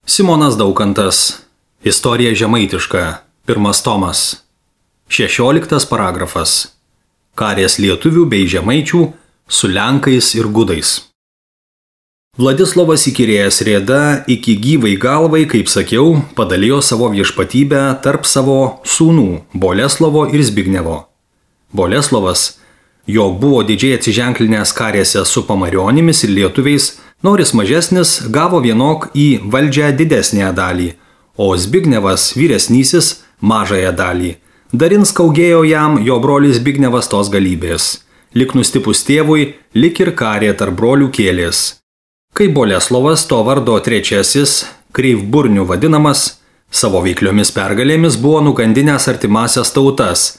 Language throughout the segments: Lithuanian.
Simonas Daukantas. Istorija žemaitiška. 1 tomas. 16 paragrafas. Karės lietuvių bei žemaičių su lenkais ir gudais. Vladislovas įkyrėjęs Rėda iki gyvai galvai, kaip sakiau, padalijo savo viešpatybę tarp savo sūnų Boleslovo ir Zbignevo. Boleslovas, jog buvo didžiai atsiženklinęs karėse su pamarionimis ir lietuviais, noris mažesnis gavo vienok į valdžią didesnę dalį, o Zbignevas vyresnysis mažąją dalį. Darin skaugėjo jam jo brolis Zbignevas tos galybės. Lik nustipus tėvui, lik ir karė tarp brolių kėlės. Kai Boleslovas, to vardo trečiasis, kreivburnių vadinamas, savo veikliomis pergalėmis buvo nukandinęs artimasias tautas.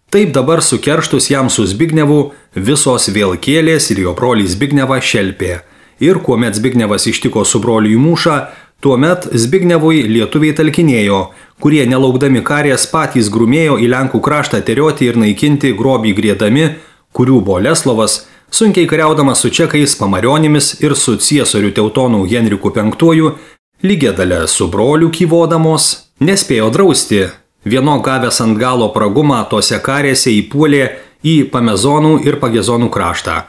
Taip dabar sukerštus jam su Zbignevu visos vėl kėlės ir jo brolį Zbignevą šelpė. Ir kuomet Zbignevas ištiko su broliu į mūšą, tuomet Zbignevui lietuviai talkinėjo, kurie nelaukdami karės patys grumėjo į Lenkų kraštą terioti ir naikinti grobį griedami, kurių Boleslovas, sunkiai kariaudamas su čekais, pamarionimis ir su ciesoriu Teutonu Henriku V, lygiadalę su broliu kyvodamos, nespėjo drausti. Vieno gavęs ant galo pragumą tose karėse įpuolė į Pamezonų ir Pagezonų kraštą,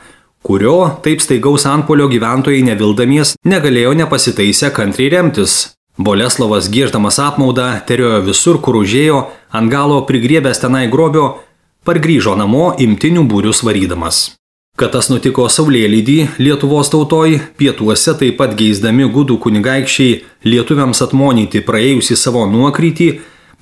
kurio taip staigaus antpuolio gyventojai nevildamies negalėjo nepasitaisę kantriai remtis. Boleslovas gieždamas apmaudą teriojo visur, kur užėjo, ant galo prigriebęs tenai grobio, pargrįžo namo imtinių būrius varydamas. Kad tas nutiko saulėlydį Lietuvos tautoj, pietuose taip pat geisdami gudų kunigaikščiai lietuviams atmonyti praėjusį savo nuokrytį,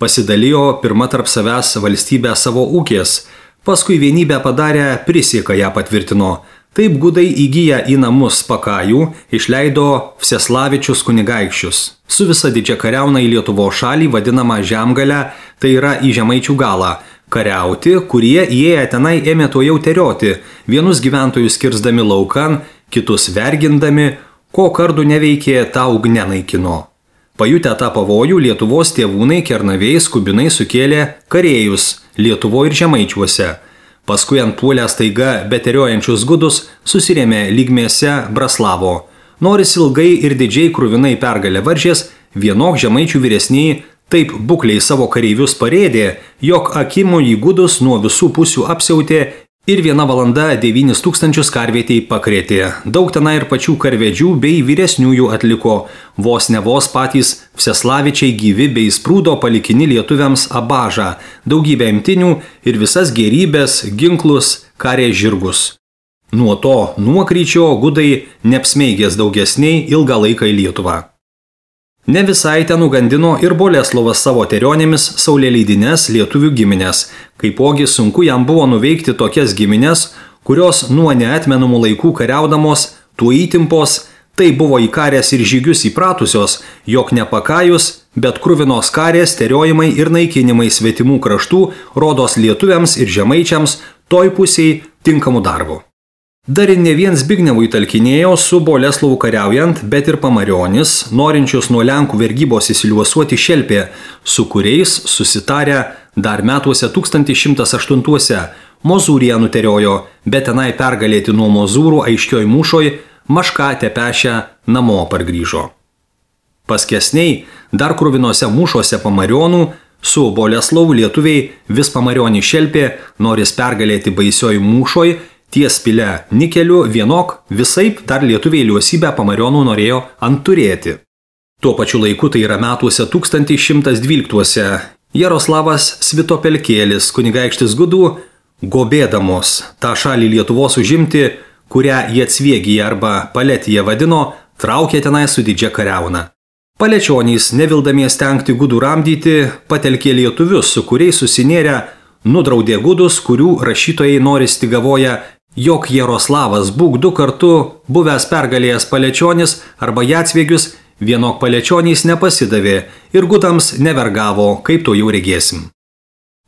pasidalijo pirma tarp savęs valstybę savo ūkės, paskui vienybę padarę prisieką ją patvirtino. Taip gudai įgyję į namus Pakajų išleido Vseslavičius kunigaikščius su visa didžia kariauna į Lietuvos šalį vadinamą Žemgalę, tai yra į Žemaičių galą, kariauti, kurie įėję tenai ėmė to jau terioti, vienus gyventojus kirsdami laukan, kitus vergindami, ko kardu neveikė, tą ugnę naikino. Pajutę tą pavojų, Lietuvos tėvūnai Kernavėjai skubinai sukėlė karėjus Lietuvo ir Žemaičiuose. Paskui ant puolę staiga beteriojančius gudus susirėmė lygmėse Braslavo. Noris ilgai ir didžiai kruvinai pergalę varžės, vienok žemaičių vyresniai taip bukliai savo kareivius parėdė, jog akimų į gudus nuo visų pusių apsiautė ir 1 valanda 9000 karvietei pakrėtė. Daug tenai ir pačių karvedžių bei vyresniųjų atliko, vos ne vos patys Vseslavičiai gyvi bei sprūdo palikini lietuviams abažą, daugybę imtinių ir visas gėrybės, ginklus, karė žirgus. Nuo to nuokryčio gudai neapsmeigės daugesniai ilgą laiką į Lietuvą. Ne visai ten nugandino ir Boleslovas savo terionėmis saulėlydines lietuvių giminės, kaipogi sunku jam buvo nuveikti tokias giminės, kurios nuo neatmenamų laikų kariaudamos, tuo įtimpos, tai buvo į karės ir žygius įpratusios, jog nepakajus, bet kruvinos karės, teriojimai ir naikinimai svetimų kraštų rodos lietuviams ir žemaičiams toj pusiai tinkamų darbų. Dar ir ne vien Zbignevui talkinėjo su Boleslovu kariaujant, bet ir pamarionis, norinčius nuo Lenkų vergybos įsiliuosuoti šelpė, su kuriais susitarę dar metuose 1108-uose Mozūriją nuteriojo, bet tenai pergalėti nuo Mozūrų aiškioj mūšoj Mašką tepešę namo pargrįžo. Paskesniai, dar kruvinose mūšuose pamarionų, su Boleslovu lietuviai vis pamarionį šelpė, noris pergalėti baisioj mūšoj, ties pile Nikeliu vienok visaip dar lietuviai liuosybę pamarionų norėjo anturėti. Tuo pačiu laiku, tai yra metuose 1112-uose, Jaroslavas Svitopelkėlis, kunigaikštis gudų, gobėdamos tą šalį Lietuvos užimti, kurią jie Cviegiją arba Paletiją vadino, traukė tenai su didžia kariauna. Palečionys, nevildamies stengti gudų ramdyti, patelkė lietuvius, su kuriais susinėrė, nudraudė gudus, kurių rašytojai nori stigavoja, jog Jaroslavas būk 2 kartu buvęs pergalėjęs Palečionis arba Jacviegius, vienok Palečionys nepasidavė ir gudams nevergavo, kaip to jau regėsim.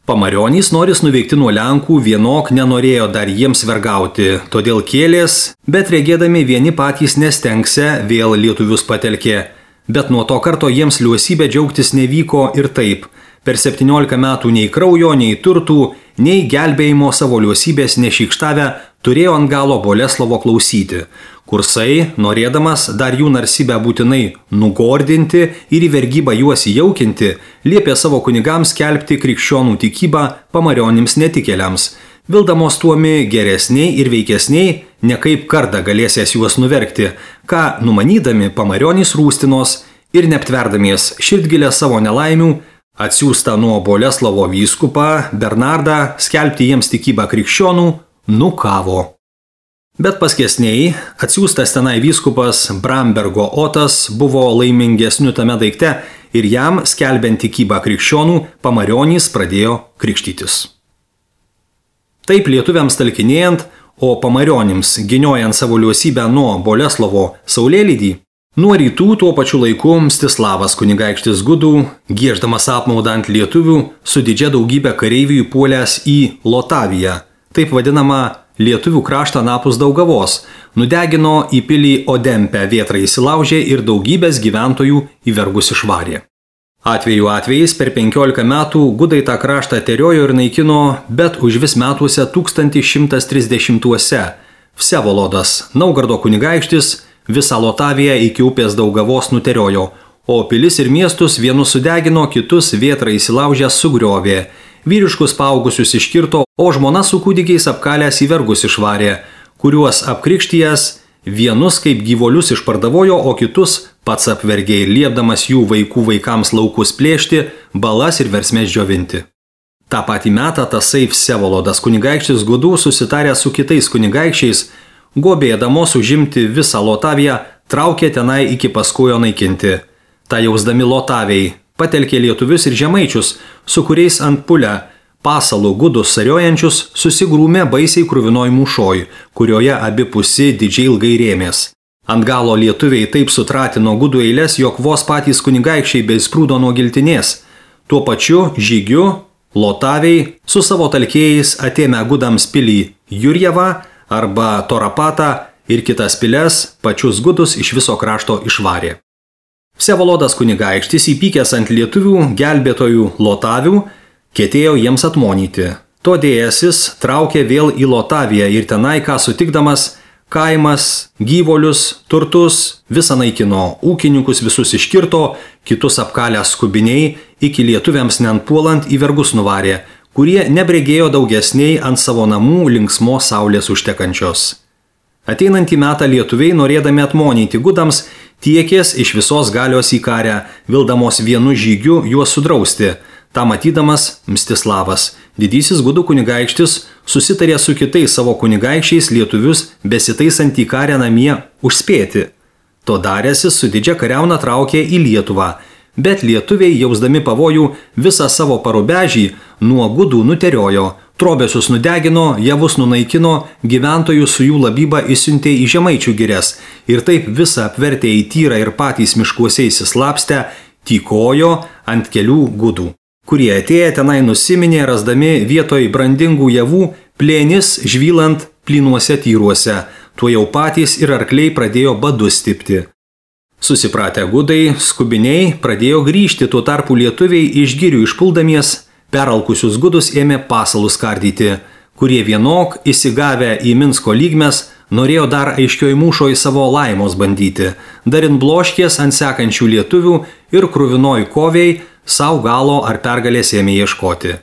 Pamarionys noris nuveikti nuo Lenkų vienok nenorėjo dar jiems vergauti, todėl kėlės, bet regėdami vieni patys nestengse vėl lietuvius patelkė. Bet nuo to karto jiems liuosybė džiaugtis nevyko ir taip. Per 17 metų nei kraujo, nei turtų, nei gelbėjimo savo liuosybės nešykštavę turėjo ant galo Boleslovo klausyti. Kursai, norėdamas dar jų narsybę būtinai nugordinti ir į vergybą juos įjaukinti, liepė savo kunigams skelbti krikščionų tikybą pamarionims netikėliams, vildamos tuomi geresniai ir veikesniai, ne kaip kardą galėsės juos nuverkti, ką numanydami pamarionys rūstinos ir neaptverdamies širdgilę savo nelaimių, atsiųstą nuo Boleslovo vyskupą Bernardą skelbti jiems tikybą krikščionų, nukavo. Bet paskesniai, atsiųstas tenai vyskupas Brambergo Otas buvo laimingesniu tame daikte ir jam, skelbiant tikybą krikščionų, pamarionys pradėjo krikštytis. Taip lietuviams talkinėjant, o pamarionims giniojant savo liuosybę nuo Boleslovo saulėlydį, nuo rytų tuo pačiu laiku Mstislavas kunigaikštis Gudų, gieždamas apmaudą ant lietuvių, su didžia daugybė kareivių puolęs į Lotaviją, taip vadinamą lietuvių kraštą napus Daugavos, nudegino į pilį Odempę, vėtrą įsilaužė ir daugybės gyventojų į vergus išvarė. Atvejais per 15 metų Gudai tą kraštą teriojo ir naikino, bet užvis metuose 1130-uose Vsevolodas, Naugardo kunigaikštis, visą Lotaviją iki upės Daugavos nuteriojo, o pilis ir miestus vienus sudegino, kitus vėtrą įsilaužęs sugriovė. Vyriškus paaugusius iškirto, o žmona su kūdikiais apkalęs į vergus išvarė, kuriuos apkrikštijęs vienus kaip gyvolius išpardavojo, o kitus pats apvergė ir liepdamas jų vaikų vaikams laukus plėšti, balas ir versmės džiovinti. Ta patį metą tasai Vsevolodas kunigaikštis Gudų susitarė su kitais kunigaikščiais, gobėdamos užimti visą Lotaviją, traukė tenai iki Paskuojo naikinti. Ta jausdami Lotaviai patelkė lietuvius ir žemaičius, su kuriais ant pulę pasalų Gudus sariojančius susigrūmė baisiai kruvinoj mūšoj, kurioje abipusi didžiai ilgai rėmės. Ant galo lietuviai taip sutratino Gudų eilės, jog vos patys kunigaikščiai beisprūdo nuo giltinės. Tuo pačiu žygiu Lotaviai su savo talkėjais atėmė Gudams pilį Jurjevą arba Torapatą ir kitas piles, pačius Gudus iš viso krašto išvarė. Vsevolodas kunigaikštis įpykęs ant lietuvių gelbėtojų Lotavių, ketėjo jiems atmonyti. Todėjasis traukė vėl į Lotaviją ir tenai, ką sutikdamas, kaimas, gyvolius, turtus, visą naikino, ūkininkus visus iškirto, kitus apkalęs skubiniai, iki lietuviams nenpuolant į vergus nuvarė, kurie nebregėjo daugesniai ant savo namų linksmos saulės užtekančios. Ateinantį metą lietuviai, norėdami atmonyti Gudams, tiekės iš visos galios į karę, vildamos vienu žygiu juos sudrausti. Ta matydamas Mstislavas, didysis Gudų kunigaikštis, susitarė su kitais savo kunigaikščiais lietuvius besitaisant į karę namie užspėti. To daręsis su didžia kariauna traukė į Lietuvą, bet lietuviai, jausdami pavojų, visą savo parubežį nuo Gudų nuteriojo, trobesius nudegino, javus nunaikino, gyventojus su jų labyba įsiuntė į žemaičių girias ir taip visą apvertė į tyrą ir patys miškuose įsislapstę, tykojo ant kelių Gudų, kurie atėję tenai nusiminė, rasdami vietoj brandingų javų plėnis žvylant plynuose tyruose, tuo jau patys ir arkliai pradėjo badus stipti. Susipratę Gudai, skubiniai pradėjo grįžti, tuo tarpu lietuviai iš girių išpuldamies, peralkusius Gudus ėmė pasalus kardyti, kurie vienok įsigavę į Minsko lygmes norėjo dar aiškioj mūšoj savo laimos bandyti, darint bloškės ant sekančių lietuvių ir kruvinoj koviai savo galo ar pergalės ėmė ieškoti.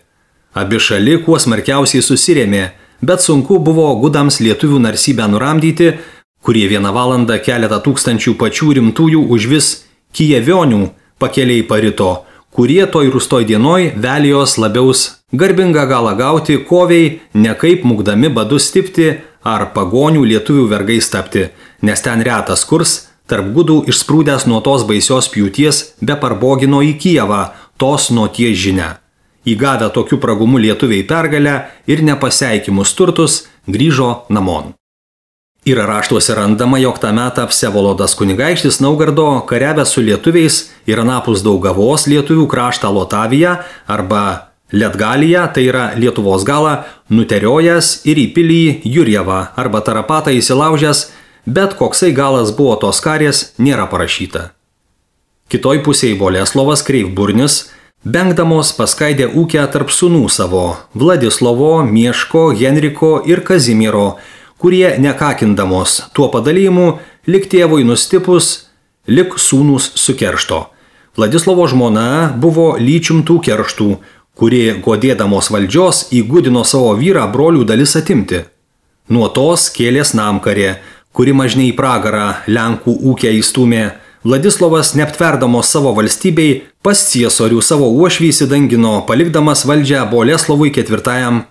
Abi šali kuo smarkiausiai susirėmė, bet sunku buvo Gudams lietuvių narsybę nuramdyti, kurie 1 valandą keletą tūkstančių pačių rimtųjų užvis kijevionių pakeliai parito, kurie toj rūstoj dienoj velijos labiaus garbingą galą gauti koviai, ne kaip mukdami badus stipti ar pagonių lietuvių vergais tapti, nes ten retas kurs tarp Gudų išsprūdęs nuo tos baisios pjūties be parbogino į Kijevą, tos nuoties žinia. Įgavę tokių pragumų lietuviai pergalę ir nepaseikimus turtus grįžo namon. Yra raštuose randama, jog tą metą Vsevolodas kunigaikštis Naugardo kariavęs su lietuviais ir anapus Daugavos lietuvių kraštą Lotaviją arba Letgaliją, tai yra Lietuvos galą, nuteriojęs ir į pilį Jurjevą arba Tarapatą įsilaužęs, bet koksai galas buvo tos karės, nėra parašyta. Kitoj pusėje Boleslovas Kreivburnis, bengdamos paskaidė ūkę tarp sūnų savo, Vladislovo, Mieško, Henriko ir Kazimiero, kurie nekakindamos tuo padalymu, lik tėvui nustipus, lik sūnus su keršto. Vladislovo žmona buvo lyčimtų kerštų, kuri godėdamos valdžios įgudino savo vyrą brolių dalis atimti. Nuo tos kėlės namkarė, kuri mažnei į pragarą Lenkų ūkę įstumė, Vladislovas, neaptverdamos savo valstybei, pas ciesorių savo uošvį įsidangino, palikdamas valdžią Boleslovui IV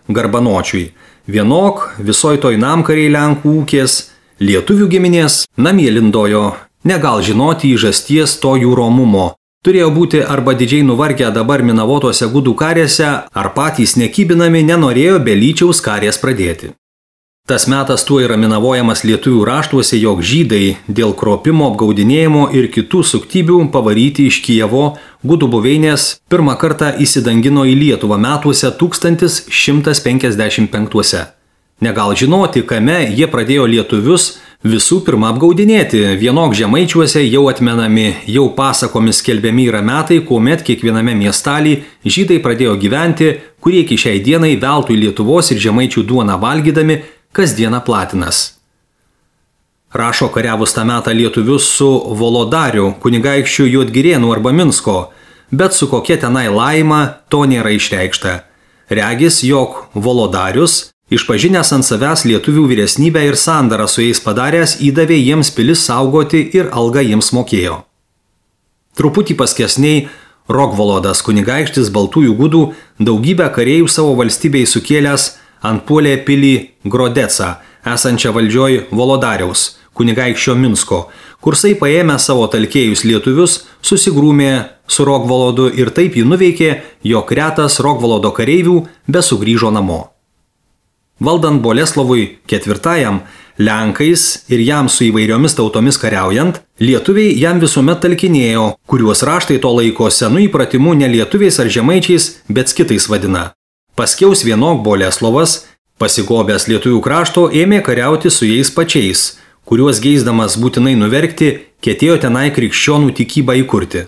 Garbanočiui. Vienok visoj toj namkariai Lenkų ūkės, lietuvių giminės namie lindojo, negal žinoti įžasties to jų romumo. Turėjo būti arba didžiai nuvargę dabar minavotose gudų karėse, ar patys nekybinami nenorėjo belyčiaus karės pradėti. Tas metas tuo yra minavojamas lietuvių raštuose, jog žydai dėl kropimo, apgaudinėjimo ir kitų suktybių pavaryti iš Kijevo gudų buveinės pirmą kartą įsidangino į Lietuvą metuose 1155. Negal žinoti, kame jie pradėjo lietuvius visų pirma apgaudinėti. Vienok žemaičiuose jau atmenami, jau pasakomis skelbiami yra metai, kuomet kiekviename miestalį žydai pradėjo gyventi, kurie iki šiai dienai veltui Lietuvos ir žemaičių duoną valgydami kasdieną platinas. Rašo kariavus tą metą lietuvius su Volodariu, kunigaikščiu Juodgirėnų arba Minsko, bet su kokia tenai laima to nėra išreikšta. Regis, jog Volodarius, išpažinęs ant savęs lietuvių vyresnybę ir sandarą su jais padaręs, įdavė jiems pilis saugoti ir algą jiems mokėjo. Truputį paskesniai Rogvolodas, kunigaikštis baltųjų gudų, daugybę kareivių savo valstybei sukėlęs antpuolė pilį Grodecą, esančią valdžioj Volodariaus, kunigaikščio Minsko, kursai paėmę savo talkėjus lietuvius, susigrūmė su Rogvolodu ir taip jį nuveikė, jog retas Rogvolodo kareivių besugrįžo namo. Valdant Boleslovui IV, Lenkais ir jam su įvairiomis tautomis kariaujant, lietuviai jam visuomet talkinėjo, kuriuos raštai to laiko senų įpratimų ne lietuviais ar žemaičiais, bet kitais vadina. Paskiaus vienok Boleslovas, pasigobęs lietuvių krašto, ėmė kariauti su jais pačiais, kuriuos geisdamas būtinai nuverkti, ketėjo tenai krikščionų tikybą įkurti.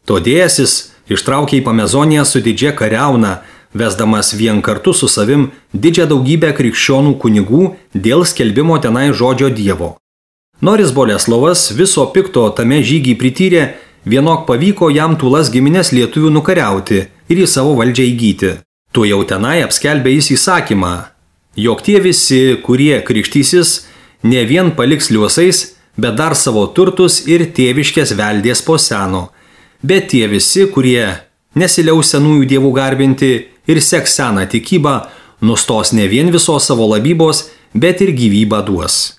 Todėjasis ištraukė į Pamezoniją su didžia kariauna, vesdamas vien kartu su savim didžią daugybę krikščionų kunigų dėl skelbimo tenai žodžio Dievo. Noris Boleslovas viso pikto tame žygį prityrė, vienok pavyko jam Tulas giminės lietuvių nukariauti ir į savo valdžią įgyti. Tu jau tenai apskelbė jis įsakymą, jog tie visi, kurie krikštysis, ne vien paliks liuosais, bet dar savo turtus ir tėviškės veldės po seno. Bet tie visi, kurie nesiliaus senųjų dievų garbinti ir seks seną tikybą, nustos ne vien visos savo labybos, bet ir gyvybą duos.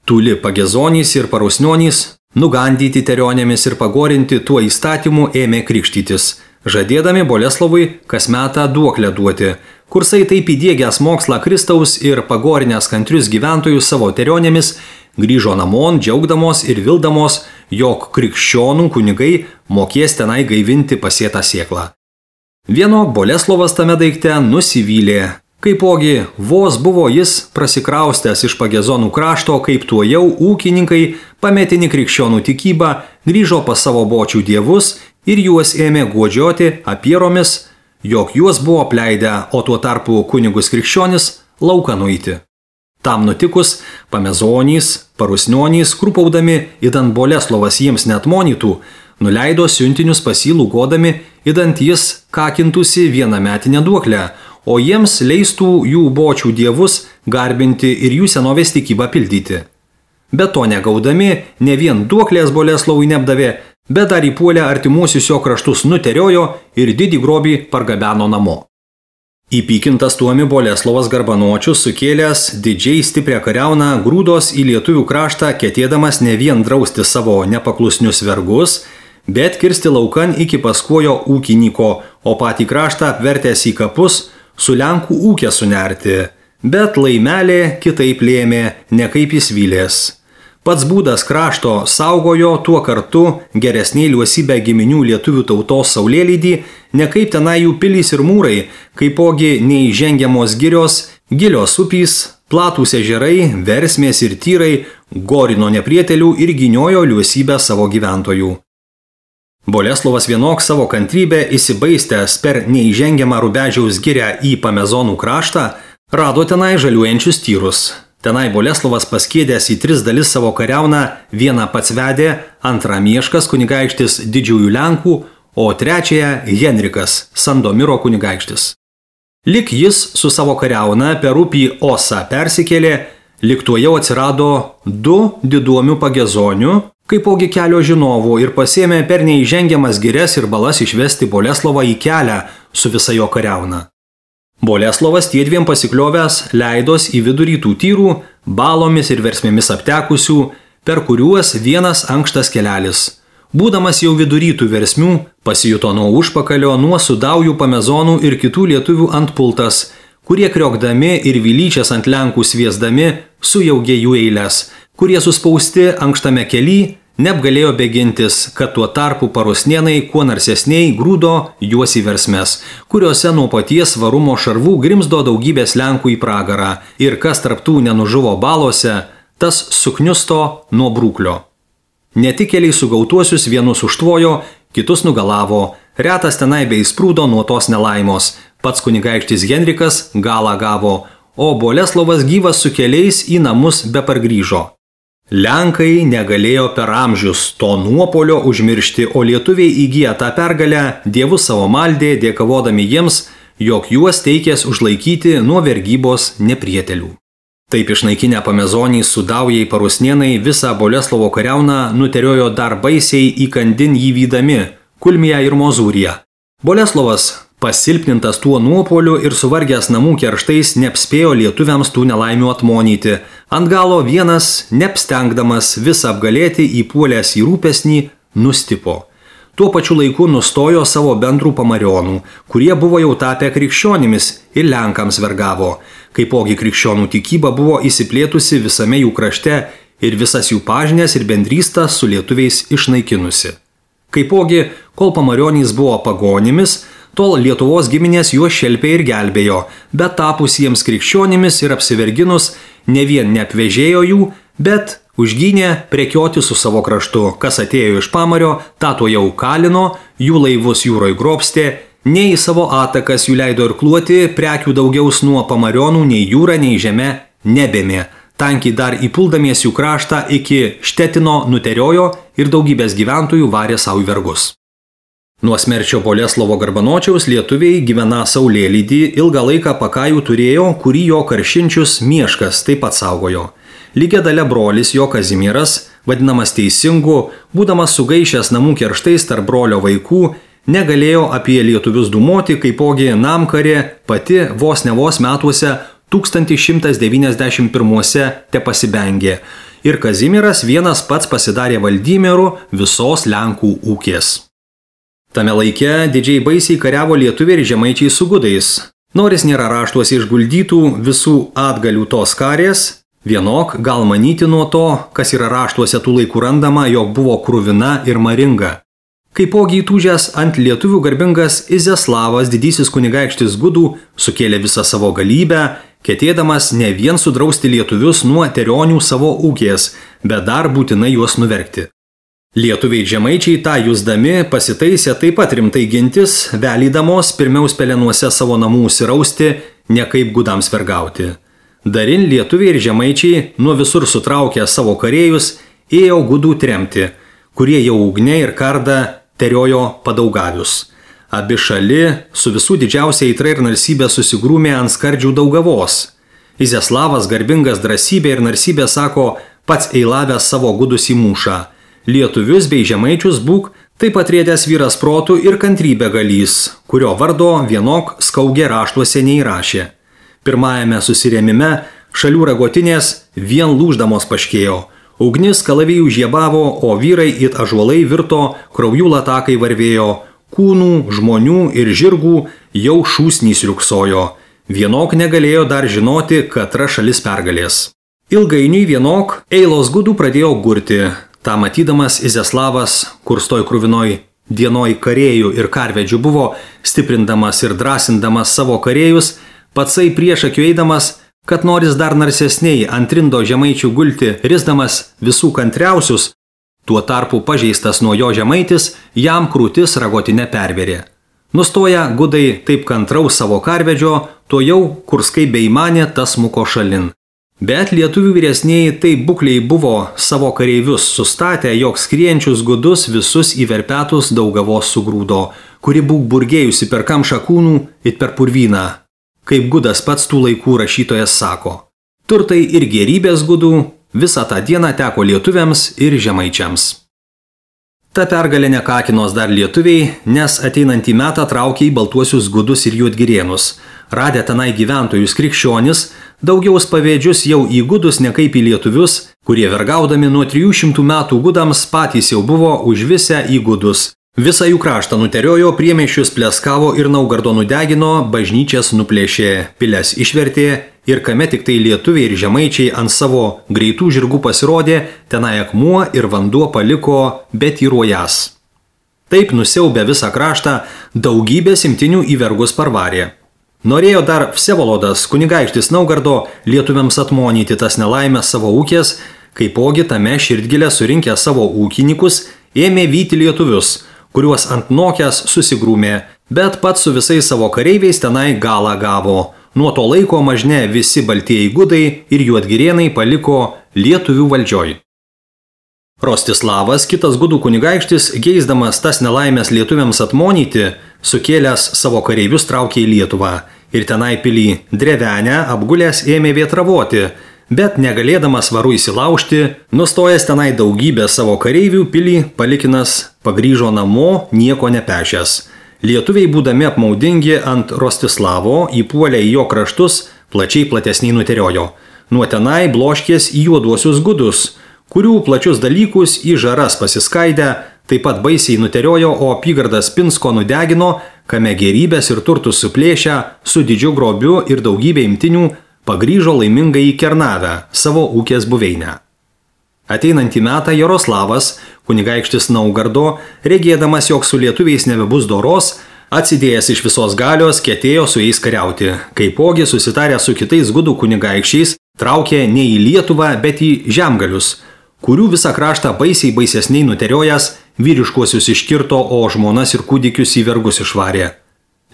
Tuli pagezonys ir parusnionys, nugandyti terionėmis ir pagorinti tuo įstatymu ėmė krikštytis, žadėdami Boleslovui kas metą duoklę duoti. Kursai taip įdiegęs mokslą Kristaus ir pagorinęs kantrius gyventojus savo terionėmis, grįžo namon džiaugdamos ir vildamos, jog krikščionų kunigai mokės tenai gaivinti pasėtą sėklą. Vienok Boleslovas tame daikte nusivylė. Kaipogi vos buvo jis prasikraustęs iš Pagezonų krašto, kaip tuo jau ūkininkai, pametini krikščionų tikybą, grįžo pas savo bočių dievus ir juos ėmė guodžioti apieromis, jog juos buvo apleidę, o tuo tarpu kunigus krikščionis lauką nueiti. Tam nutikus, Pamezonys, parusnionys, krupaudami, idant Boleslovas jiems neatmonytų, nuleido siuntinius pasylų godami, idant jis kakintusi vienametinę duoklę, o jiems leistų jų bočių dievus garbinti ir jų senovės tikybą pildyti. Be to negaudami, ne vien duoklės Boleslovui neapdavė, bet dar įpuolę artimuosius jo kraštus nuteriojo ir didį grobį pargabeno namo. Įpykintas tuomi Boleslovas Garbanočius, sukėlęs didžiai stiprią kariauną, grūdos į lietuvių kraštą, ketėdamas ne vien drausti savo nepaklusnius vergus, bet kirsti laukan iki paskuojo ūkininko, o patį kraštą apvertęs į kapus, su Lenkų ūkė sunerti, bet laimelė kitaip lėmė, ne kaip jis vylės. Pats būdas krašto saugojo tuo kartu geresniai liuosybę giminių lietuvių tautos saulėlydį, ne kaip tenai jų pilys ir mūrai, kaipogi neįžengiamos girios, gilios upys, platūs ežerai, versmės ir tyrai, gorino neprietelių ir gyniojo liuosybę savo gyventojų. Boleslovas vienok savo kantrybę įsibaistęs per neįžengiamą Rubežiaus girią į Pamezonų kraštą, rado tenai žaliuojančius tyrus. Tenai Boleslovas paskėdęs į 3 dalis savo kariauną, vieną pats vedė, antrą Mieškas kunigaikštis didžiųjų Lenkų, o trečiąją Henrikas, Sandomiro kunigaikštis. Lik jis su savo kariauna per upį Osą persikėlė, lik tuojau atsirado 2 diduomių pagezonių, kaipogi kelio žinovų ir pasėmė per neįžengiamas girias ir balas išvesti Boleslovą į kelią su visa jo kariauna. Boleslovas tiedviem pasikliovęs leidos į vidų rytų tyrų, balomis ir versmėmis aptekusių, per kuriuos vienas ankštas kelelis. Būdamas jau vidurytų versmių, pasijuto nuo užpakalio, nuo sudaujų pamezonų ir kitų lietuvių antpultas, kurie kriokdami ir vilyčias ant Lenkų sviesdami sujaugė jų eiles, kurie suspausti ankštame kely, neapgalėjo begintis, kad tuo tarpu parusnienai kuo narsesniai grūdo juos į versmes, kuriuose nuo paties varumo šarvų grimzdo daugybės Lenkų į pragarą ir kas tarptų nenužuvo balose, tas sukniusto nuo brūklio. Netikėliai sugautuosius vienus užtvojo, kitus nugalavo, retas tenai bei sprūdo nuo tos nelaimos, pats kunigaikštis Henrikas galą gavo, o Boleslovas gyvas su keliais į namus be pargrįžo. Lenkai negalėjo per amžius to nuopolio užmiršti, o lietuviai įgyję tą pergalę dievus savo maldė, dėkavodami jiems, jog juos teikės užlaikyti nuo vergybos neprietelių. Taip išnaikinę pamezonį sudaujai parusnienai visą Boleslovo kariauną nuteriojo dar baisiai įkandin jį vydami, Kulmiją ir Mozūriją. Boleslovas, pasilpnintas tuo nuopoliu ir suvargęs namų kerštais, neapspėjo lietuviams tų nelaimių atmonyti. Ant galo vienas, neapstengdamas visą apgalėti įpuolęs į rūpesnį, nustipo. Tuo pačiu laiku nustojo savo bendrų pamarionų, kurie buvo jau tapę krikščionimis ir Lenkams vergavo. Kaipogi krikščionų tikyba buvo įsiplėtusi visame jų krašte ir visas jų pažinės ir bendrystą su lietuviais išnaikinusi. Kaipogi, kol pamarionys buvo pagonimis, tol Lietuvos giminės juos šelpė ir gelbėjo, bet tapus jiems krikščionimis ir apsiverginus, ne vien neapvežėjo jų, bet užgynė prekioti su savo kraštu, kas atėjo iš pamario, tą to jau kalino, jų laivus jūroje grobstė, nei į savo atakas jų leido irkluoti, prekių daugiaus nuo pamarionų nei jūra, nei žeme nebėmė. Tankiai dar įpuldamies jų kraštą iki Štetino nuteriojo ir daugybės gyventojų varė savo į vergus. Nuo smerčio Boleslovo Garbanočiaus lietuviai gyvena saulėlydį, ilgą laiką pakajų turėjo, kurį jo karšinčius Mieškas taip pat saugojo. Lygia dalia brolis jo Kazimieras, vadinamas teisingu, būdamas sugaišęs namų kerštais tarp brolio vaikų, negalėjo apie lietuvius dūmoti, kaipogi Namkarė pati vos metuose 1191 te pasibengė ir Kazimieras vienas pats pasidarė valdymėru visos Lenkų ūkės. Tame laike didžiai baisiai kariavo lietuviai ir žemaičiai su gudais. Noris nėra raštuose išguldytų visų atgalių tos karės, vienok gal manyti nuo to, kas yra raštuose tų laikų randama, jog buvo kruvina ir maringa. Kaipogi įtūžęs ant lietuvių garbingas Iziaslavas, didysis kunigaikštis gudų, sukėlė visą savo galybę, ketėdamas ne vien sudrausti lietuvius nuo terionių savo ūkės, bet dar būtinai juos nuvergti. Lietuviai žemaičiai tą jusdami pasitaisė taip pat rimtai gintis, velydamos pirmiaus pelenuose savo namų užsirausti, ne kaip gudams vergauti. Darin lietuviai ir žemaičiai nuo visur sutraukę savo karėjus ėjo gudų tremti, kurie jau ugnė ir kardą teriojo padaugavius. Abi šali su visų didžiausia aitra ir narsybė susigrūmė ant skardžių daugavos. Iziaslavas garbingas drąsybė ir narsybė sako, pats eilavęs savo gudus į mūšą. Lietuvius bei žemaičius būk taip pat rėdęs vyras protų ir kantrybė galys, kurio vardo vienok skaugė raštuose neįrašė. Pirmajame susirėmime šalių ragotinės vien lūždamos paškėjo. Ugnis kalavijų žiebavo, o vyrai it ąžuolai virto, kraujų latakai varvėjo, kūnų, žmonių ir žirgų jau šūsnys riuksojo. Vienok negalėjo dar žinoti, katra šalis pergalės. Ilgainiui vienok eilos gudų pradėjo gurti. Ta matydamas Iziaslavas, kurstoj kruvinoj dienoj karėjų ir karvedžių buvo, stiprindamas ir drąsindamas savo karėjus, patsai prieš akių eidamas, kad noris dar narsesniai antrindo žemaičių gulti, risdamas visų kantriausius, tuo tarpu pažeistas nuo jo žemaitis, jam krūtis ragotinė perverė. Nustoja gudai taip kantraus savo karvedžio, to jau kurskai beįmanė tas smuko šalin. Bet lietuvių vyresnieji taip bukliai buvo savo kareivius sustatę, jog skrienčius gudus visus į verpetus Daugavos sugrūdo, kuri būk burgėjusi per kamšą kūnų ir per purvyną. Kaip gudas pats tų laikų rašytojas sako. Turtai ir gerybės gudų visą tą dieną teko lietuviams ir žemaičiams. Ta pergalė nekakinos dar lietuviai, nes ateinantį metą traukė į baltuosius gudus ir juodgirėnus. Radę tenai gyventojus krikščionis, daugiaus pavėdžius jau į gudus ne kaip į lietuvius, kurie vergaudami nuo 300 metų gudams patys jau buvo užvisę į gudus. Visą jų kraštą nuteriojo, priemiesčius pleskavo ir Naugardo nudegino, bažnyčias nuplėšė, piles išvertė ir kame tik tai lietuviai ir žemaičiai ant savo greitų žirgų pasirodė, tenai akmuo ir vanduo paliko, bet įruojas. Taip nusiaubė visą kraštą, daugybės imtinių į vergus parvarė. Norėjo dar Vsevolodas, kunigaikštis Naugardo, lietuviams atmonyti tas nelaimės savo ūkės, kaipogi tame širdgilę surinkę savo ūkininkus, ėmė vyti lietuvius, kuriuos ant nokės susigrūmė, bet pats su visais savo kareiviais tenai galą gavo. Nuo to laiko mažne visi baltieji gudai ir juodgirėnai paliko lietuvių valdžioj. Rostislavas, kitas gudų kunigaikštis, geisdamas tas nelaimės lietuviams atmonyti, sukėlęs savo kareivius traukė į Lietuvą ir tenai pilį Drevenę apgulęs ėmė vėtravoti, bet negalėdamas varu įsilaužti, nustojęs tenai daugybę savo kareivių pilį palikinas pagrįžo namo nieko nepešęs. Lietuviai būdami apmaudingi ant Rostislavo įpuolę į jo kraštus plačiai platesniai nuteriojo. Nuo tenai bloškės į juoduosius gudus, kurių plačius dalykus į žaras pasiskaidę, taip pat baisiai nuteriojo, o apygardas Pinsko nudegino, kame gerybės ir turtus suplėšę, su didžiu grobiu ir daugybė imtinių pagrįžo laimingai į Kernavę, savo ūkės buveinę. Ateinantį metą Jaroslavas, kunigaikštis Naugardo, regėdamas, jog su lietuviais nebebus doros, atsidėjęs iš visos galios, ketėjo su jais kariauti. Kaipogi susitarę su kitais gudų kunigaikščiais, traukė ne į Lietuvą, bet į Žemgalius, kurių visą kraštą baisesniai nuteriojęs, vyriškuosius iškirto, o žmonas ir kūdikius į vergus išvarė.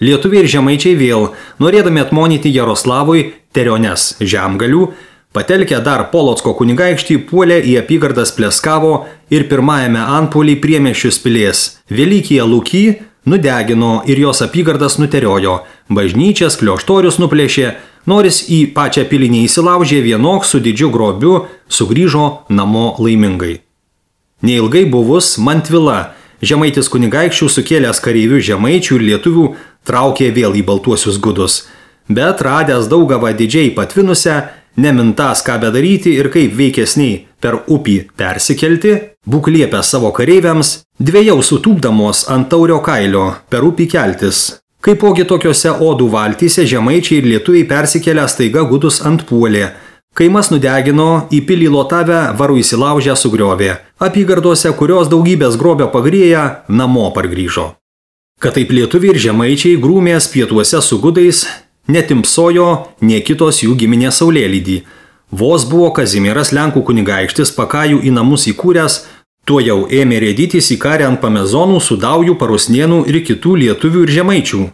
Lietuviai ir žemaičiai vėl, norėdami atmonyti Jaroslavui teriones Žemgalių, patelkę dar Polocko kunigaikštį, puolė į apygardas Pleskavo ir pirmajame antpuolį priemiesčius pilies Velykyje Lūky nudegino ir jos apygardas nuteriojo, bažnyčias, klioštorius nuplėšė, noris į pačią pilį neįsilaužė, vienok su didžiu grobiu sugrįžo namo laimingai. Neilgai buvus Mantvila, žemaitis kunigaikščių sukėlęs kareivių žemaičių ir lietuvių, traukė vėl į baltuosius gudus, bet radęs Daugavą didžiai patvinusią, nemintas ką bedaryti ir kaip veikesniai per upį persikelti, būk liepęs savo kareiviams, dvejau sutūpdamos ant taurio kailio per upį keltis. Kaipogi tokiuose odų valtyse žemaičiai ir lietuviai persikėlę staiga gudus ant puolė. Kaimas nudegino, į pilį lotavę varu įsilaužę sugriovė. Apygardose, kurios daugybės grobio pagrėję, namo pargrįžo. Kad taip lietuviai ir žemaičiai grūmės pietuose su gudais, netimpsojo nie kitos jų giminės saulėlydį. Vos buvo Kazimieras Lenkų kunigaikštis Pakajų į namus įkūręs, tuo jau ėmė rėdytis į karę ant Pamezonų, Sudaujų, Parusnienų ir kitų lietuvių ir žemaičių.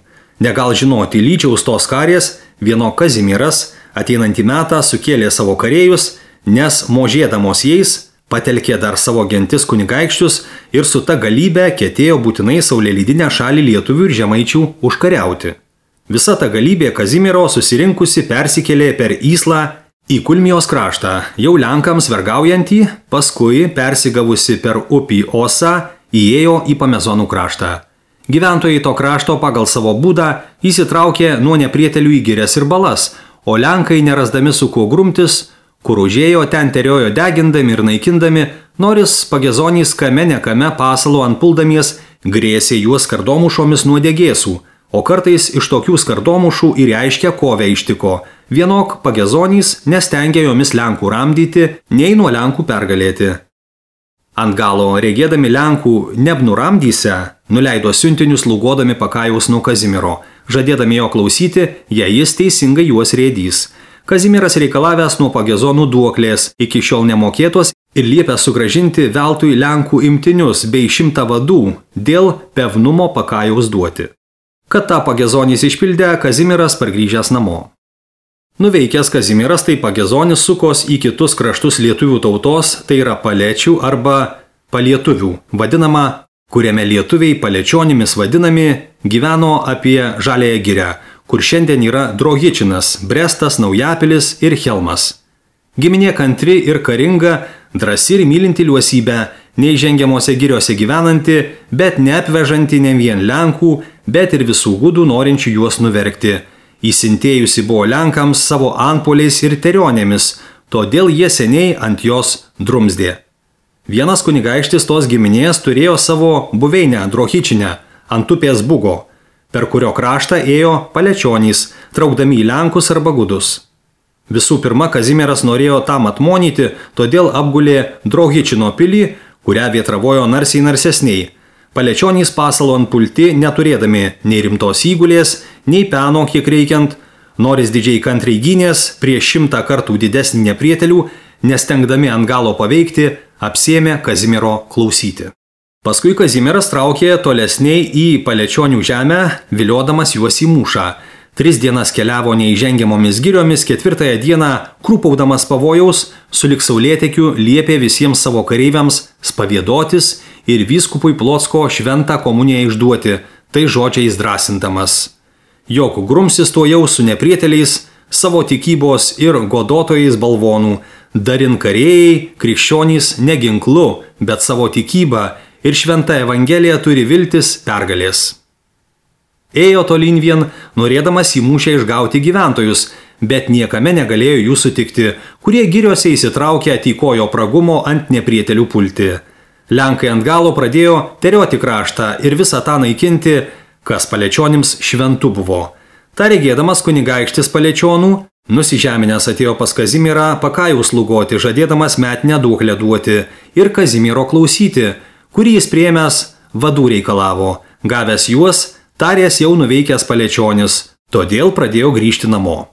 Negal žinoti lyčiaus tos karės, vieno Kazimieras ateinantį metą sukėlė savo kareivius, nes možėdamos jais patelkė dar savo gentis kunigaikščius ir su ta galybė ketėjo būtinai saulėlydinę šalį lietuvių ir žemaičių užkariauti. Visa ta galybė Kazimiero susirinkusi persikėlė per Įslą į Kulmijos kraštą, jau Lenkams vergaujantį, paskui persigavusi per upį Osą, įėjo į Pamezonų kraštą. Gyventojai to krašto pagal savo būdą įsitraukė nuo neprietelių į girias ir balas, o Lenkai, nerasdami su kuo grumtis, kur užėjo, ten teriojo degindami ir naikindami, noris pagezonys kame nekame pasalo antpuldamies, grėsė juos skardomušomis nuo degėsų, o kartais iš tokių skardomušų ir aiškia kovę ištiko. Vienok pagezonys nestengė jomis Lenkų ramdyti, nei nuo Lenkų pergalėti. Ant galo, regėdami Lenkų nebnuramdyse, nuleido siuntinius lūgodami Pakajaus nuo Kazimiero, žadėdami jo klausyti, jei jis teisingai juos rėdys. Kazimieras reikalavęs nuo pagezonų duoklės, iki šiol nemokėtos, ir liepęs sugrąžinti veltui Lenkų imtinius bei 100 vadų dėl pevnumo Pakajaus duoti. Kad tą pagezonys išpildė, Kazimieras pargrįžęs namo. Nuveikęs Kazimieras tai Pagezonis sukos į kitus kraštus lietuvių tautos, tai yra paliečių arba palietuvių, vadinama, kuriame lietuviai palečionimis vadinami, gyveno apie Žaliąją girią, kur šiandien yra Drohičinas, Brestas, Naujapilis ir Helmas. Giminė kantri ir karinga, drąsi ir mylinti liuosybę, neįžengiamose giriose gyvenanti, bet neapvežanti ne vien Lenkų, bet ir visų gudų norinčių juos nuverkti. Įsintėjusi buvo Lenkams savo antpoliais ir terionėmis, todėl jie seniai ant jos drumsdė. Vienas kunigaištis tos giminės turėjo savo buveinę Drohičinę ant upės Bugo, per kurio kraštą ėjo palečionys, traukdami į Lenkus arba gudus. Visų pirma, Kazimieras norėjo tam atmonyti, todėl apgulė Drohičino pilį, kurią vietravojo narsiai narsesniai. Palečionys pasalo ant pulti, neturėdami nei rimtos įgulės, nei peno kiek reikiant, noris didžiai kantriai gynės prieš 100 kartų didesnį neprietelių, nestengdami ant galo paveikti, apsėmė Kazimiero klausyti. Paskui Kazimieras traukė tolesniai į palečionių žemę, viliodamas juos į mūšą. 3 dienas keliavo neįžengiamomis giriomis, 4 dieną, krūpaudamas pavojaus, sulig saulėtekiu liepė visiems savo kareiviams spavėdotis ir vyskupui Plocko šventą komuniją išduoti, tai žodžiais drąsindamas. Jok grumsis to jau su neprieteliais, savo tikybos ir godotojais balvonų, darin karėjai, krikščionys ne ginklu, bet savo tikybą ir šventa evangelija turi viltis pergalės. Ėjo tolyn vien, norėdamas į mūšę išgauti gyventojus, bet niekame negalėjo jų sutikti, kurie giriose įsitraukė tykojo pragumo ant neprietelių pulti. Lenkai ant galo pradėjo terioti kraštą ir visą tą naikinti, kas palečionims šventu buvo. Ta regėdamas kunigaikštis palečionų, nusižeminęs atėjo pas Kazimierą pakajų slugoti, žadėdamas metinę duoklę duoti ir Kazimiero klausyti, kurį jis priėmęs vadų reikalavo, gavęs juos, tarės jau nuveikęs palečionis, todėl pradėjo grįžti namo.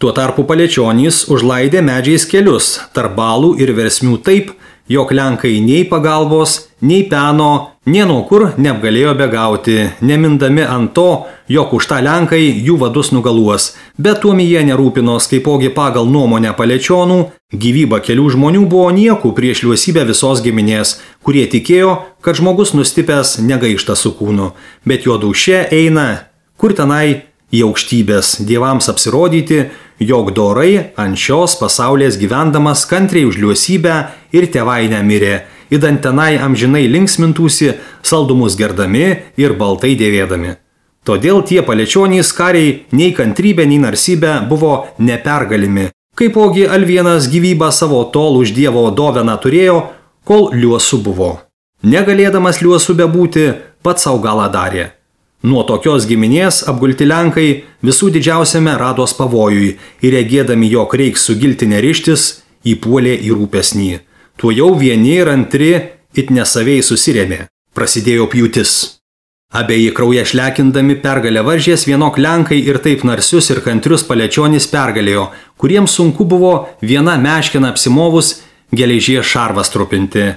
Tuo tarpu palečionys užlaidė medžiais kelius tarp balų ir versmių taip, jog Lenkai nei pagalbos, nei peno, nė nuo kur neapgalėjo begauti, nemindami ant to, jog už tą Lenkai jų vadus nugaluos, bet tuomi jie nerūpinos, kaipogi pagal nuomonę palečionų, gyvyba kelių žmonių buvo niekų prieš liuosybę visos giminės, kurie tikėjo, kad žmogus nustipęs negaišta su kūnu, bet jo dūšia eina, kur tenai į aukštybės dievams apsirodyti, jog dorai ant šios pasaulės gyvendamas kantriai už liuosybę ir tėvainę mirė, įdant tenai amžinai linksmintųsi, saldumus gerdami ir baltai dėvėdami. Todėl tie palečionys kariai nei kantrybė, nei narsybė buvo nepergalimi, kaipogi Alvienas gyvybą savo tol už Dievo dovaną turėjo, kol liuosu buvo. Negalėdamas liuosu bebūti, pats savo galą darė. Nuo tokios giminės apgulti Lenkai visų didžiausiame rados pavojui ir regėdami, jog reiks su giltinė ryžtis, įpuolė į rūpesnį. Tuo jau vieni ir antri it nesaviai susirėmė. Prasidėjo pjūtis. Abeji krauja šlekindami pergalę varžės vienok Lenkai ir taip narsius ir kantrius palečionys pergalėjo, kuriems sunku buvo viena meškina apsimovus geležies šarvas trupinti.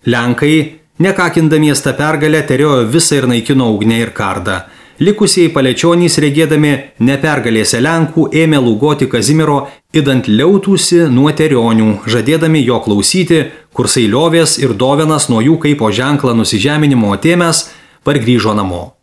Lenkai, nekakindamiesi tą pergalę, teriojo visą ir naikino ugnę ir kardą. Likusieji palečionys regėdami nepergalėse Lenkų ėmė lūgoti Kazimiero, idant liautųsi nuo terionių, žadėdami jo klausyti, kursai liovės ir dovenas nuo jų kaip po ženklą nusižeminimo atėmęs, pargrįžo namo.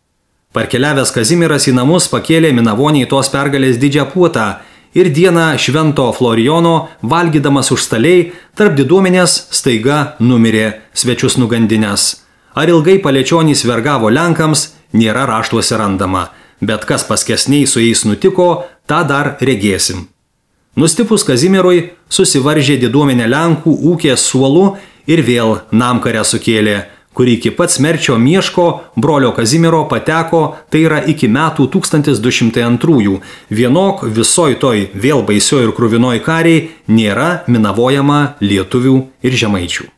Parkeliavęs Kazimieras į namus pakėlė minavoniai tos pergalės didžią puotą ir dieną švento Florijono, valgydamas už staliai, tarp diduomenės staiga numirė, svečius nugandinęs. Ar ilgai palečionys vergavo Lenkams, nėra raštuose randama, bet kas paskesniai su jais nutiko, tą dar regėsim. Nustipus Kazimierui susivaržė diduomenė Lenkų ūkės suolų ir vėl namkarę sukėlė, kuri iki pat smerčio Mieško brolio Kazimiero pateko, tai yra iki metų 1202. Vienok visoj toj vėl baisioj ir kruvinoj kariai nėra minavojama lietuvių ir žemaičių.